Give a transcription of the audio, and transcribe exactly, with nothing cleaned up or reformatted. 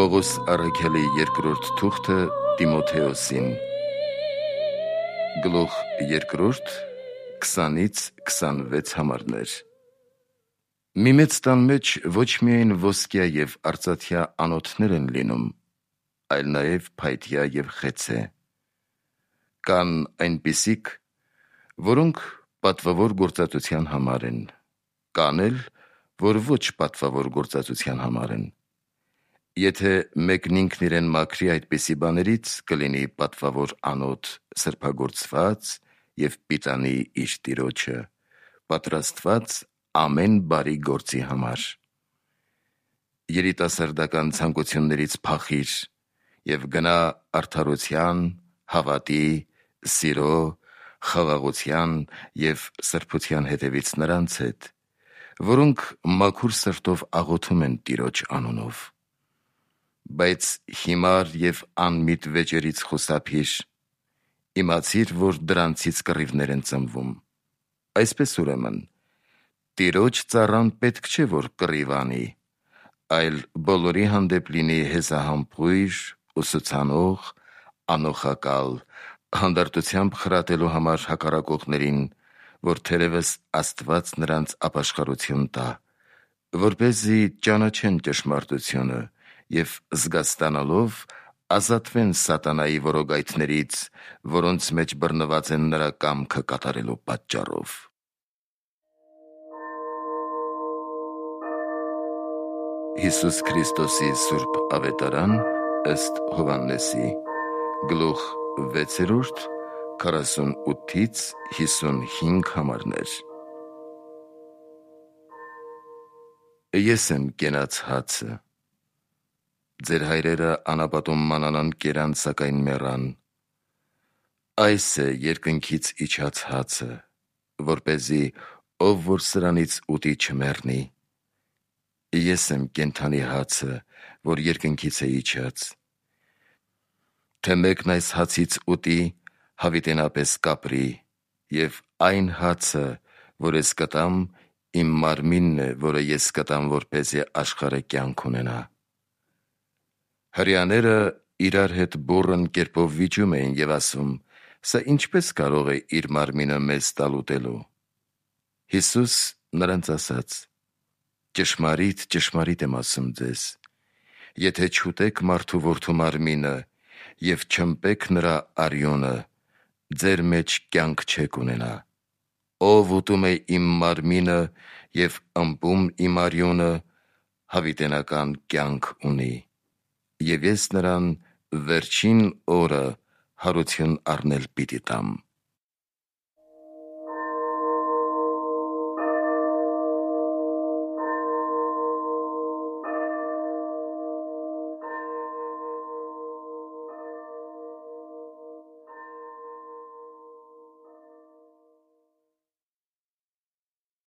Պողոս առաքյալի երկրորդ թուղթը Տիմոթեոսին, գլուխ երկրորդ, քսանից քսանվեց համարներ։ Մի մեծ տան մեջ ոչ միայն ոսկյա և արծաթյա անոթներ են լինում, այլ նաև փայտյա և խեցե։ Կան այնպիսիք, որոնք պատվավոր գործածության համար են, կան էլ, որ ոչ պատվավոր գործածության համար են։ Եթե մեկն ինքն իրեն մաքրի այդպիսի բաներից, կլինի պատվավոր անոթ, սրբագործված և պիտանի իր Տիրոջը, պատրաստված ամեն բարի գործի համար։ Երիտասարդական ցանկություններից փախիր և գնա արդարության, հավատի, սիրո, խաղաղության և սրբության հետևից նրանց հետ, որոնք մաքուր սրտով աղոթում են Տիրոջ անունով։ Բայց հիմար և անմիտ վեճերից խուսափիր, իմացիր, որ դրանցից կռիվներ են ծնվում։ Այսպես ուրեմն, Տիրոջ ծառան պետք չէ, որ կռիվ անի, այլ բոլորի հանդեպ լինի հեզահամբույր, ուսուցանող, անոխակալ, հանդարտությամբ խրատելու համար հակառակողներին, որ թերևս Աստված նրանց ապաշխարություն տա, որպեսզի ճանաչեն ճշմարտությունը և զգաստանալով ազատվեն սատանայի որոգայթներից, որոնց մեջ բռնված են նրա կամքը կատարելու պատճառով։ Հիսուս Քրիստոսի սուրբ ավետարան ըստ Հովհաննեսի, գլուխ վեցերորդ, քառասունութից հիսունհինգ համարներ։ Ես եմ կենաց հացը։ Ձեր հայրերը անապատում մանանան կերան, սակայն մեռան։ Այս է երկնքից իջած հացը, որպեսզի ով որ սրանից ուտի չմեռնի։ Ես եմ կենդանի հացը, որ երկնքից է իջած։ Թե մեկն այս հացից ուտի, հավիտենապես կապրի, և այն հացը, որ ես կտամ, իմ մարմինն է, որը ես կտամ, որպեսզի աշխարհը կյանք ունենա։ Հրեաները իրար հետ բուռն կերպով վիճում էին և ասում. «Սա ինչպե՞ս կարող է իր մարմինը մեզ տալ ուտելու»։ Հիսուս նրանց ասաց. «Ճշմարիտ, ճշմարիտ եմ ասում ձեզ. եթե չուտեք մարդու որդու մարմինը և չըմպեք նրա արյունը, ձեր մեջ կյանք չեք ունենա։ Ով ուտում է իմ մարմինը և ըմպում իմ արյունը, հավիտենական կյանք ունի, և ես նրան վերջին օրը հարություն առնել պիտի տամ»։